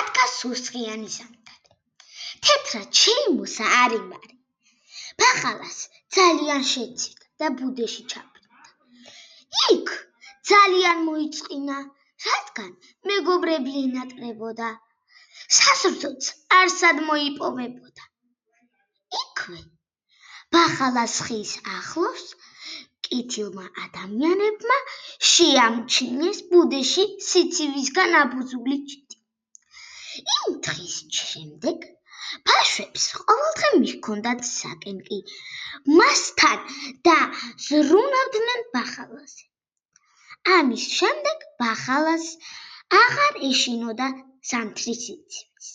ადგა სუსხიანი ზამთარი. თეთრად შეიმოსა არიმარი. ბახალას ძალიან შეცივდა და ბუდეში ჩაბრუნდა. იქ ძალიან მოიწყინა, რადგან მეგობრები ენატრებოდა. სასრძოც არსად მოიპოვებოდა. იქვე ბახალას ხის ახლოს კეთილმა ადამიანებმა შეამჩნიეს ბუდეში სიცივისგან აბუზული ჭიდი. იმ დღის შემდეგ ბაშვებს ყოველდღე მიჰქონდათ საკენკი მასთან და ზრუნავდნენ ბახალაზე. ამის შემდეგ ბახალას აღარ ეშინოდა ზამთრის სიცივეს.